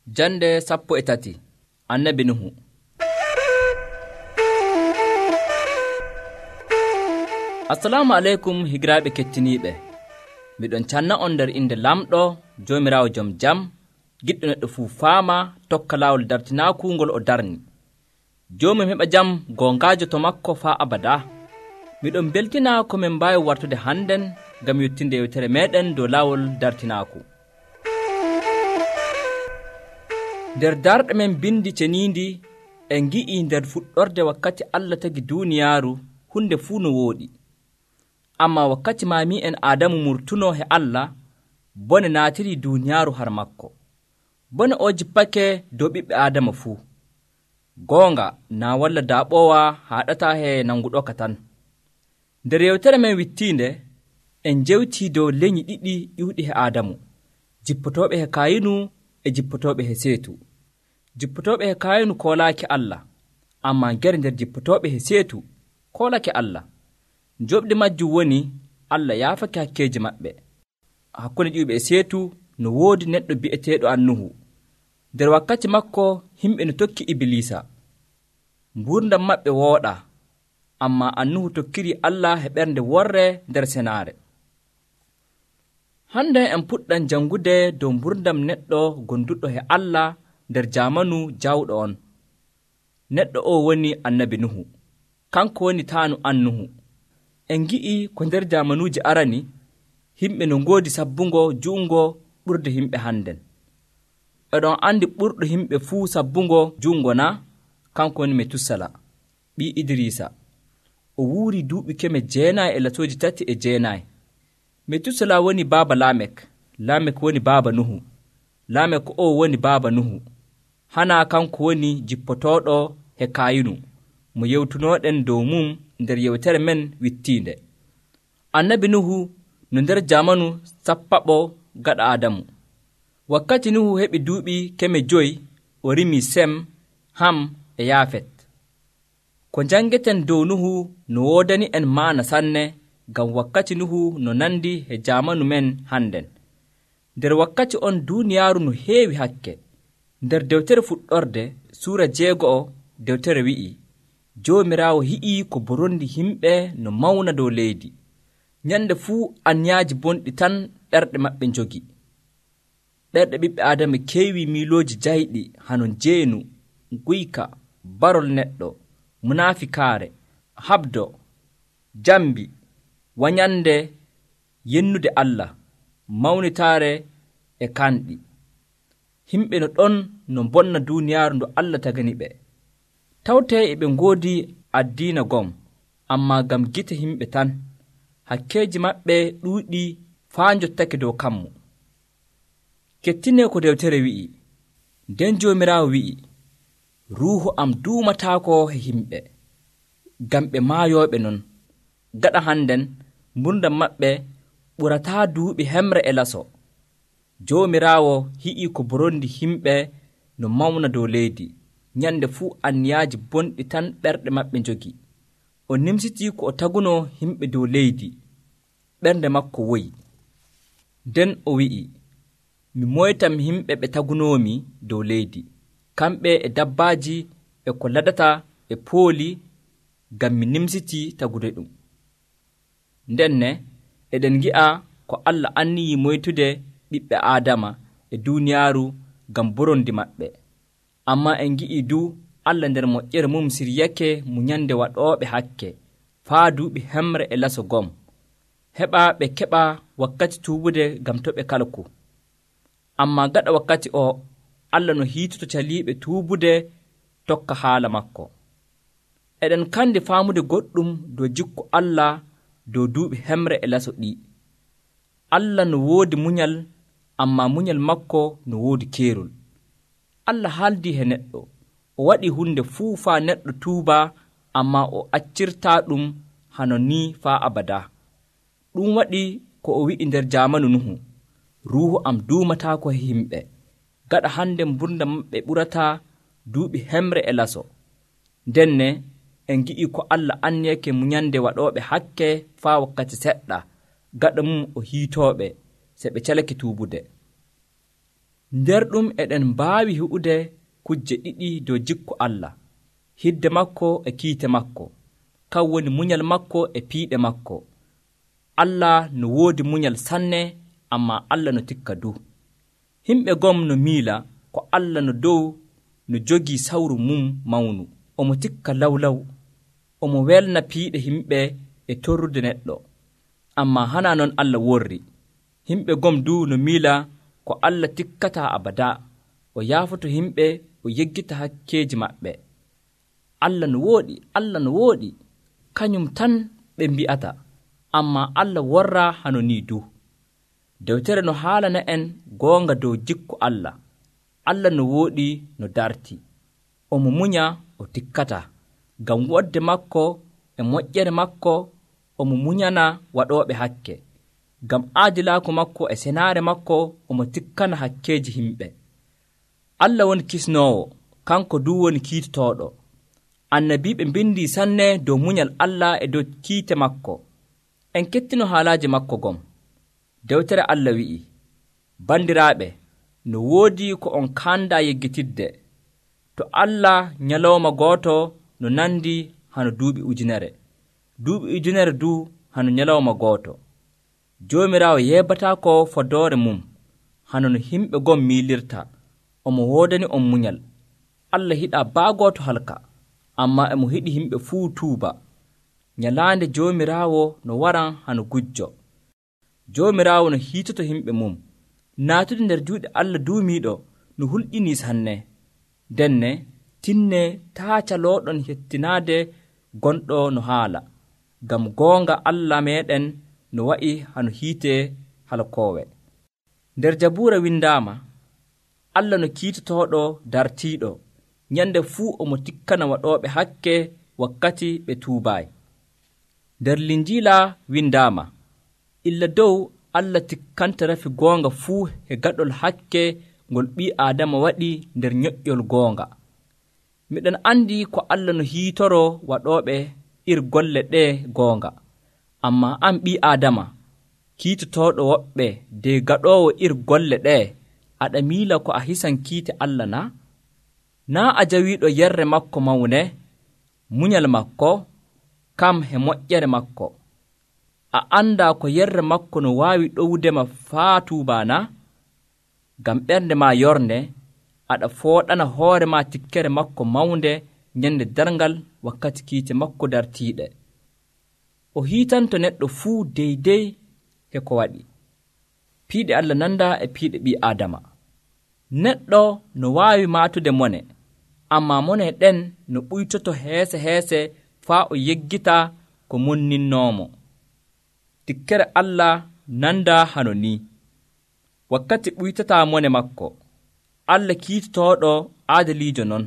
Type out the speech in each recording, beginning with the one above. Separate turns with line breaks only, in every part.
Jande 13 Annabi Nuhu. Assalamu aleykum higiraaɓe kettiniiɓe. Miɗon canna on nder inde lamɗo Joomiraawo jom jam, giɗɗo neɗɗo fuu faama tokka laawol dartinaaku ngol o darni. Joomum heɓa jam goongaajo to makko faa abada. Miɗon beltina ko min mbaawi wartude hannden ngam yottinde yewtere meeɗen dow laawol dartinaaku. Nder darɗe men bindi ceniindi en ngi'i nder fuɗɗorde wakkati Allah tagi duuniyaaru hunde fuu no wooɗi. Amma wakkati maami'en Aadamu murtunoo he Allah, bone naatiri duuniyaaru har makko. Bone o jippake dow ɓiɓɓe Aadama fuu. Goonga naa walla daaɓoowa haaɗataa he nanguɗoka tan. Nder yewtere men wittiinde en njewtii dow lenyyi ɗiɗi ƴiwɗi he Aadamu, jippotooɓe he Kayinu e jippotooɓe he Seetu. Jippotooɓe he Kayinu koolaaki Allah, ammaa nder jippotooɓe he Seetu koolake Allah. Joɓdi majjum woni Allah yaafake hakkeeji maɓɓe. Hakkunde ƴiwɓe e Seetu no woodi neɗɗo bi'eteeɗo Nuhu. Nder wakkati makko himɓe no tokki Ibilisa. Ngurdam maɓɓe wooɗaa, ammaa Nuhu tokkiri Allah he ɓernde worre nder senaare. Hande en puɗɗan jangude dow ngurdam neɗɗo gonduɗo he Allah nder jaamanu jawɗo on. Neɗɗo o woni Annabi Nuhu. Kanko woni taanu Nuhu. En ngi'i ko nder jaamanuuji arani himɓe no ngoodi sabbungo ju'ungo ɓurde himɓe hannden. Eɗon andi ɓurɗo himɓe fuu sabbungo ju'ungo na? Kanko woni Metusala, ɓii Idrisa. O wuuri duuɓi 939. Metusala woni baaba Lamek. Lamek woni baaba Nuhu. Lamek o woni baaba Nuhu. Hana kanko woni jippotooɗo he Kayinu, mo yewtunooɗen dow mum nder yewtere men wittiinde. Annabi Nuhu no nder jaamanu sappaɓo gaɗa Aadamu. Wakkati Nuhu heɓi duuɓi 500 o rimi Sem, Ham e Yaafet. Ko jangeten dow Nuhu no woodani en maana sanne, ngam wakkati Nuhu no nandi he jaamanu men hannden. Nder wakkati on duuniyaaru no heewi hakke. Nder dewtere fuɗɗorde suura 6 dewtere wi'i, Joomiraawo hi'ii ko borondi himɓe no mawna dow leydi. Nyande fuu anyaaji bonɗi tan ɓerɗe maɓɓe njogi. Ɓerɗe ɓiɓɓe Aadama keewi miilooji jayɗi hano jeenu, guyka, barol neɗɗo, munaafikaare, habdo, jambi, wanyande, yennude Allah, mawnitaare e kanɗi. Himɓe no ɗon no bonna duuniyaaru ndu Allah tagani ɓe. Tawtee e ɓe ngoodi addiina gom, ammaa ngam gite himɓe tan, hakkeeji maɓɓe ɗuuɗi faa njottake dow kammu. Kettinee ko dewtere wi'i, nden Joomiraawo wi'i, Ruuhu am duumataako he himɓe, ngam ɓe maayooɓe non. Gaɗa hannden, mburdam maɓɓe ɓurataa duuɓi 100. Joomiraawo hi'ii ko borondi himɓe no mawna dow leydi. Nyande fuu anniyaaji bonɗi tan ɓerɗe maɓɓe njogi. O nimsitii ko o tagunoo himɓe dow leydi. Ɓernde makko woyi. Nden o wi'i, mi moytam himɓe ɓe tagunoomi dow leydi, kamɓe e dabbaaji e ko ladata e pooli, ngam mi nimsitii tagude ɗum. Ndenne eɗen ngi'a ko Allah anniyii moytude ɓiɓɓe Aadama e duuniyaaru ngam borondi maɓɓe. Ammaa en ngi'ii du Allah nder moƴƴere mum siryake munyande waɗooɓe hakke faa duuɓi 100 heɓa ɓe keɓa wakkati tuubude ngam to ɓe kalku. Ammaa gaɗa wakkati o Allah no hiitoto caliiɓe tuubude tokka haala makko. Eɗen kandi faamude goɗɗum dow jikku Allah dow duuɓi 100 ɗi. Allah no woodi munyal, ammaa munyal makko no woodi keerol. Allah haaldii he neɗɗo, o waɗii hunde fuu faa neɗɗo tuuba, ammaa o accirtaa ɗum hano ni faa abada. Ɗum waɗi ko o wi'i nder jaamanu Nuhu, Ruuhu am duumataako he himɓe. Gaɗa hande mburdam maɓɓe ɓurataa duuɓi 100. Ndenne en ngi'i ko Allah anniyake munyande waɗooɓe hakke faa wakkati seɗɗa, gaɗa mum o hiitooɓe se ɓe calake tuubude. nder ɗum eɗen mbaawi heɓude kujje ɗiɗi dow jikku Allah, hidde makko e kiite makko, kan woni munyal makko e piiɗe makko. Allah no woodi munyal sanne, ammaa Allah no tikka du. Himɓe gom no miila ko Allah no dow no jogii sawru mum mawnu, omo tikka lawlaw, omo welna piiɗe himɓe e torrude neɗɗo. Ammaa hana non Allah worri. Himɓe gom du no miila ko Allah tikkataa abada, o yaafoto himɓe, o yeggita hakkeeji maɓɓe. Allah no wooɗi, Allah no wooɗi, kañum tan ɓe mbi'ata, ammaa Allah worraa hano nii du. Dewtere no haalana en goonga dow jikku Allah. Allah no wooɗi no darti, omo munya, o tikkata, ngam wodde makko e moƴƴere makko omo munyana waɗooɓe hakke, ngam aadilaaku makko e senaare makko omo tikkana hakkeeji himɓe. Allah woni kisnoowo, kanko du woni kiitotooɗo. Annabiiɓe mbindi sanne dow munyal Allah e dow kiite makko. En kettino haalaaji makko gom. Dewtere Allah wi'i, bandiraaɓe, no woodi ko on kaanda yeggitidde. To Allah nyalawma gooto no nandi hano duuɓi ujunere, duuɓi ujunere du hano nyalawma gooto. Joomiraawo yeebataako fodoore mum, hano no himɓe gom miilirta. Omo woodani on munyal. Allah hiɗaa baagooto halka, ammaa emo hiɗi himɓe fuu tuuba. Nyalaande Joomiraawo no waran hano gujjo. Joomiraawo no hiitoto himɓe mum. Naatude nder juuɗe Allah duumiiɗo no hulƴinii sanne. Denne tinne taa calooɗon hettinaade gonɗo no haala, ngam goonga Allah meeɗen no wa'i hano hiite halkoowe. Nder Jabuura windaama, Allah no kiitotooɗo dartiiɗo, nyande fuu omo tikkana waɗooɓe hakke wakkati ɓe tuubaayi. Nder Linjiila windaama, illa dow Allah tikkanta rafi goonga fuu e gaɗol hakke ngol ɓii Aadama waɗi nder nyoƴƴol goonga. Miɗen andi ko Allah no hiitoro waɗooɓe golle ɗe goonga, ammaa an ɓii Aadama kiitotooɗo woɓɓe de gaɗoowo golle ɗe, aɗa miila ko a hisan kiite Allah na? Naa a jawiiɗo yerre makko mawne, munyal makko, kam he moƴƴere makko. A anndaa ko yerre makko no waawi ɗowdema faa tuubaana? Ngam ɓernde ma yornde, aɗa fooɗana hoore ma tikkere makko mawnde nyande darngal wakkati kiite makko dartiiɗe. O hiitanto neɗɗo fuu deydey he ko waɗi. Piiɗe Allah nanda e piiɗe ɓii Aadama. Neɗɗo no waawi maatude mone, ammaa mone ɗen no ɓuytoto heese heese faa o yeggita ko monninnoomo. Tikkere Allah nanda hano ni. Wakkati ɓuytataa mone makko, Allah kiitotooɗo aadaliijo non.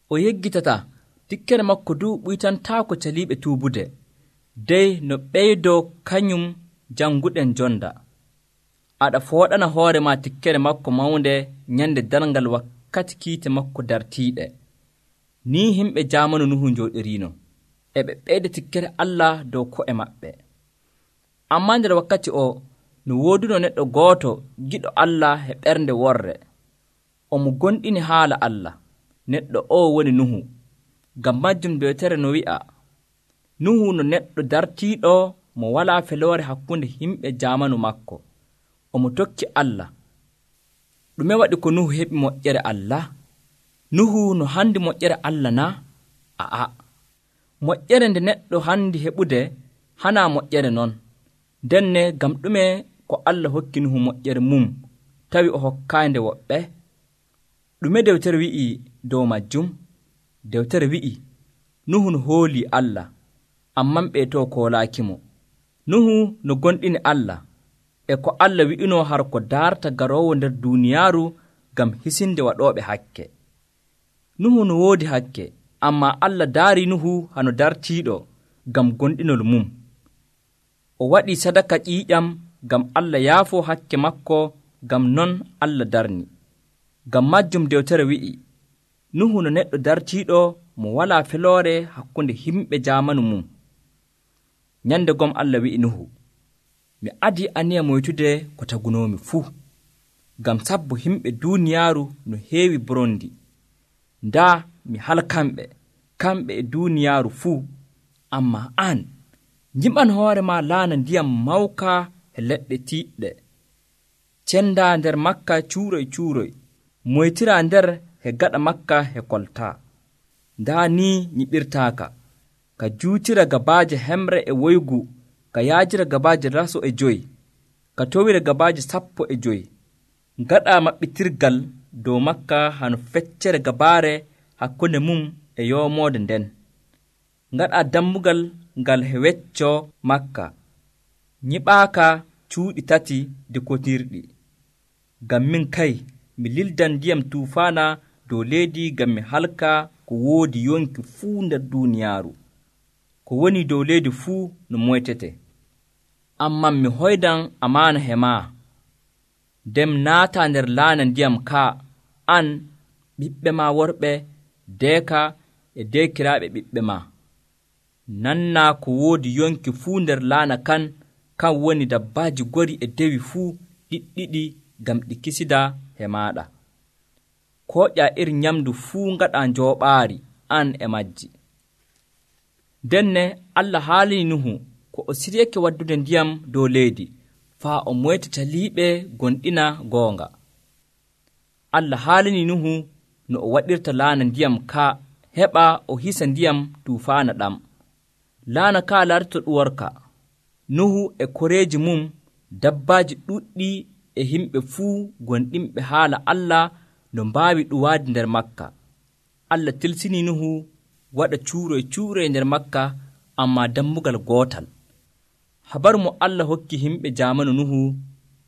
O yeggitata tikkere makko du ɓuytantaako caliiɓe tuubude, dey no ɓeydoo kañum janguɗen jonda. Aɗa fooɗana hoore ma tikkere makko mawnde nyande darngal wakkati kiite makko dartiiɗe. Ni himɓe jaamanu Nuhu njooɗiriino, e ɓe ɓeyda tikkere Allah dow ko'e maɓɓe. Ammaa nder wakkati o no wooduno neɗɗo gooto giɗo Allah e ɓernde worre. Omo gonɗini haala Allah. Neɗɗo o woni Nuhu. Ngam majjum dewtere no wi'a, Nuhu no neɗɗo dartiiɗo mo walaa feloore hakkunde himɓe jaamanu makko. Omo tokki Allah. Ɗume waɗi ko Nuhu heɓi moƴƴere Allah? Nuhu no handi moƴƴere Allah na? A'a. Moƴƴere nde neɗɗo handi heɓude hanaa moƴƴere non. Denne gam ɗume ko Allah hokki Nuhu moƴƴere mum tawi o hokkaande woɓɓe? Ɗume dewtere wi'i dow majjum? Dewtere wi'i, Nuhu no hoolii Allah, amman ɓe to koolaakimo. Nuhu no gonɗini Allah, e ko Allah wi'inoo har ko darta garoowo nder duuniyaaru gam hisinde waɗooɓe hakke. Nuhu no woodi hakke, ammaa Allah daari Nuhu hano dartiiɗo gam gonɗinol mum. O waɗii sadaka ƴiiƴam gam Allah yaafoo hakke makko, gam non Allah darni. Gam majjum dewtere wi'i, Nuhu no neɗɗo dartiiɗo mo walaa feloore hakkunde himɓe jaamanu mum. Nyande gom Allah wi'i Nuhu, mi adii aniya moytude ko tagunoomi fuu. ngam sabbo himɓe duuniyaaru no heewi borondi. Ndaa mi halkamɓe, kamɓe e duuniyaaru fuu. Ammaa an, njiɓan hoore ma laana ndiyam mawka e leɗɗe tiiɗɗe. Cendaa nder makka cuuroy, moytiraa nder e gaɗa makka e koltaa. Ndaa ni nyiɓirtaaka, ka juutira gabaaje hemre e woygu, ka yaajira gabaaje raso e 5, ka towira gabaaje 15. Ngaɗaa maɓɓitirgal dow makka hano feccere gabaare hakkunde mum e yoomoode nden. Ngaɗaa dammugal ngal he wecco makka, nyiɓaaka cuuɗi 3 dekotirɗi. Ngam min kay mi lildan ndiyam tuufaana dow leydi ngam mi halka ko woodi yonki fuu nder duuniyaaru, ko woni dow leydi fuu no moytete. Amman mi hoydan amaana he maa, nden naataa nder laana ndiyam kaa, an, ɓiɓɓe maa worɓe, deeka e deekiraaɓe ɓiɓɓe maa. Nannaa ko woodi yonki fuu nder laana kan woni dabbaaji gori e dewi fuu ɗiɗɗiɗi ngam ɗi kisida he maaɗa. Kooƴaa iri nyamdu fuu ngaɗaa njooɓaari an e majji. Denne Allah haalini Nuhu ko o siryake waddude ndiyam dow leydi faa o moyta caliiɓe gonɗina goonga. Allah haalini Nuhu no o waɗirta laana ndiyam ka heɓa o hisa ndiyam tuufaana ɗam. Laana ka larto ɗuworka. Nuhu e koreeji mum, dabbaaji ɗuɗɗi e himɓe fuu gonɗinɓe haala Allah no mbaawi ɗuwaade nder makka. Allah tilsini Nuhu waɗa cuuroy nder makka, ammaa dammugal gootal. Habaru mo Allah hokki himɓe jaamanu Nuhu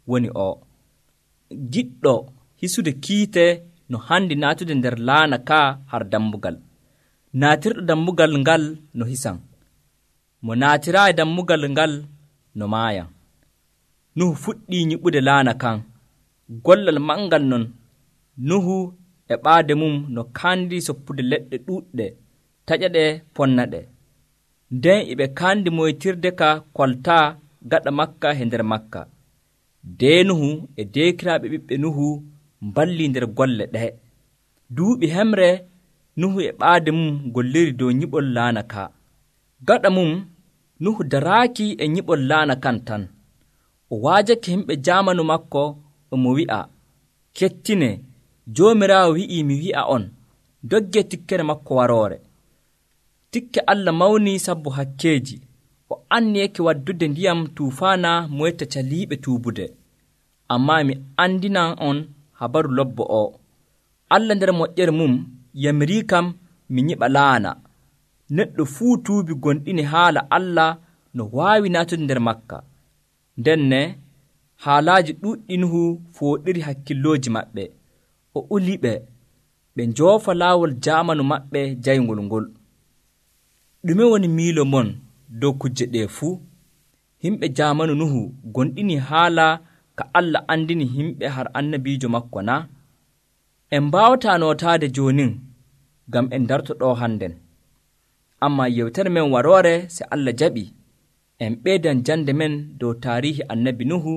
woni o: giɗɗo hisude kiite no handi naatude nder laana ka har dammugal. Naatirɗo dammugal ngal no hisan, mo naatiraayi dammugal ngal no maayan. Nuhu fuɗɗii nyiɓude laana kan. Gollal mangal non, Nuhu e ɓaade mum no kaandi soppude leɗɗe ɗuuɗɗe, taƴa-ɗe ponna-ɗe. Nden eɓe kaandi moytirde ka koltaa gaɗa makka e nder makka. Dee Nuhu e deekiraaɓe ɓiɓɓe Nuhu mballii nder golle ɗe. Duuɓi hemre Nuhu e ɓaade mum golliri dow nyiɓol laana ka. Gaɗa mum Nuhu daraaki e nyiɓol laana kan tan. O waajake himɓe jaamanu makko omo wi'a, kettine, Joomiraawo wi'ii mi wi'a on, doggee tikkere makko waroore. Tikke Allah mawnii sabbu hakkeeji. O anniyake waddude ndiyam tuufaana moyta caliiɓe tuubude. Ammaa mi andinan on habaru lobbo o. Allah nder moƴƴere mum yamirii kam mi nyiɓa laana. Neɗɗo fuu tuubi gonɗini haala Allah no waawi naatude nder makka. Ndenne haalaaji ɗuuɗɗi Nuhu fooɗiri hakkillooji maɓɓe. O uliɓe ɓe njoofa laawol jaamanu maɓɓe jayngol ngol. Ɗume woni miilo mon dow kujje ɗee fuu? Himɓe jaamanu Nuhu gonɗini haala ka Allah andini himɓe har annabiijo makko na? En mbaawataa nootaade joonin ngam en darto ɗo hannden. Ammaa yewtere men waroore se Allah jaɓi, en ɓeydan jande men dow taarihi annabi Nuhu.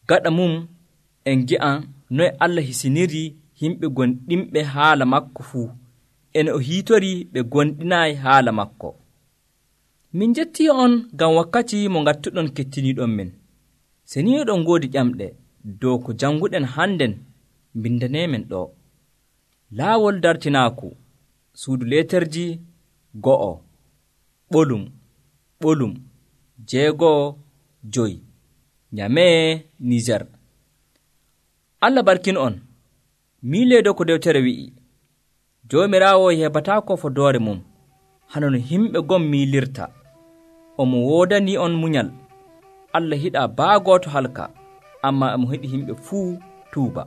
Gaɗa mum en gi'an noye Allah hisiniri himɓe gonɗinɓe haala makko fuu, ene o hiitori ɓe gonɗinaayi haala makko. Min jettii on ngam wakkati mo ngattuɗon kettiniiɗon men. Se ni oɗon ngoodi ƴamɗe dow ko janguɗen hannden, mbindaneemen ɗo. Laawol dartinaaku, suudu leeterji 2, ɓolum 6, Nyamee, Niger. Allah barkin on. Miileedo ko dewtere wi'i, Joomiraawo heɓataako fodoore mum, hano no himɓe gom miilirta. Omo woodani on munyal. Allah hiɗaa baagooto halka, ammaa omo hiɗi himɓe fuu tuuba.